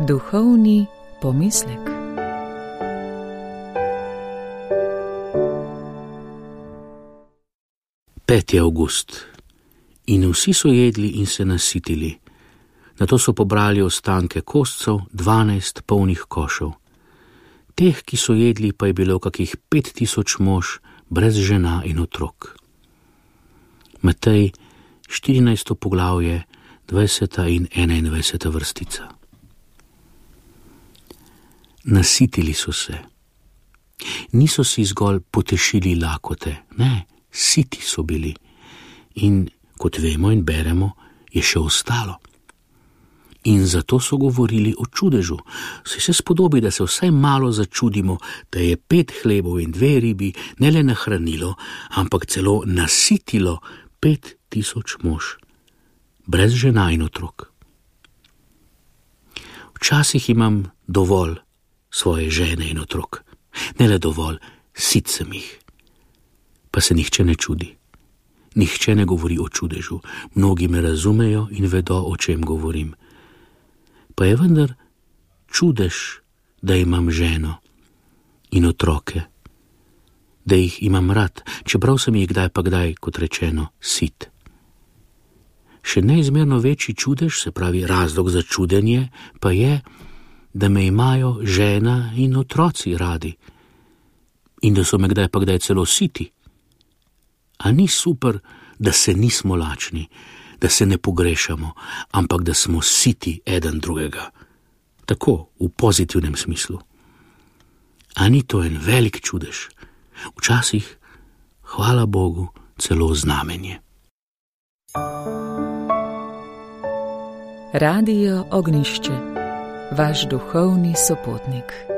Duhovni pomislek. Peti avgust. In vsi so jedli in se nasitili. Nato so pobrali ostanke kostcev, 12 polnih košev. Teh, ki so jedli, pa je bilo kakih 5000 mož, brez žena in otrok. Matej, 14. poglavje, 20. in 21. vrstica. Nasitili so se. Niso si zgolj potešili lakote, ne, siti so bili. In kot vemo in beremo, je še ostalo. In zato so govorili o čudežu. Se spodobi, da se vsaj malo začudimo, da je 5 hlebov in 2 ribi ne le nahranilo, ampak celo nasitilo 5000 mož, brez žena in otrok. Včasih imam dovolj svoje žene in otrok. Ne le dovolj, sit sem jih. Pa se nihče ne čudi. Nihče ne govori o čudežu. Mnogi me razumejo in vedo, o čem govorim. Pa je vendar čudež, da imam ženo in otroke, da jih imam rad, čeprav sem jih kdaj pa kdaj, kot rečeno, sit. Še neizmerno večji čudež, se pravi razlog za čudenje, pa je, da me imajo žena in otroci radi in da so me kdaj pa kdaj celo siti. A ni super, da se nismo lačni, da se ne pogrešamo, ampak da smo siti eden drugega. Tako, v pozitivnem smislu. A ni to en velik čudež? Včasih, hvala Bogu, celo znamenje. Radio Ognjišče, vaš duhovni sopotnik.